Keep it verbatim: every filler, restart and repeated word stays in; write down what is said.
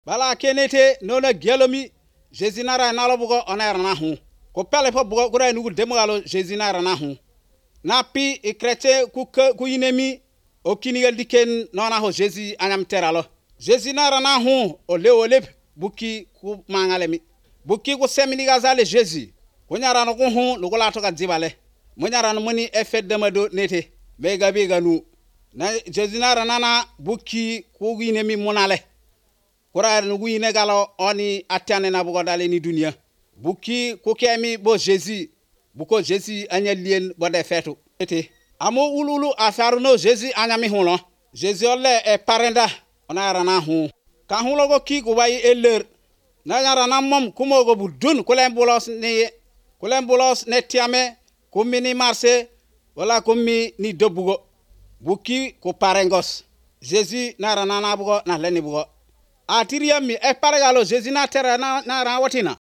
bala kenete nona gelomi Jésus nara nalo bugo onera na hu ko pele po bugo kura nugu demgalo Jésus nara na hu na pi e chrétien ku ku yinemi o kinigal diken nona ho Jésus anyam teralo Jésus nara na hu o le o le buki ku mangalemi buki ku semini gazale Jésus ko nyara no ko hu no la to ka dibale mo nyara no moni effet de mado nete be gabe ganu na Jésus nara nana buki ku yinemi monale kura no yine galo oni atane na bugo dale ni dunia buki ku kemi bo Jésus buko Jésus anyalien bo de fetu ete amo ululu afaru no Jésus anyami hulo Jésus ole e parenda ona rana hu ka hu logo ki ko bayi eler na yara na mom kumo go budun ko lem bolos ne ko lem bolos ne tiame ko mini marché wala ko mi ni dobugo buki ko parengos Jésus na rana na bugo na leni bugo atiriam mi e paragalo Jésus na terra na na rawatina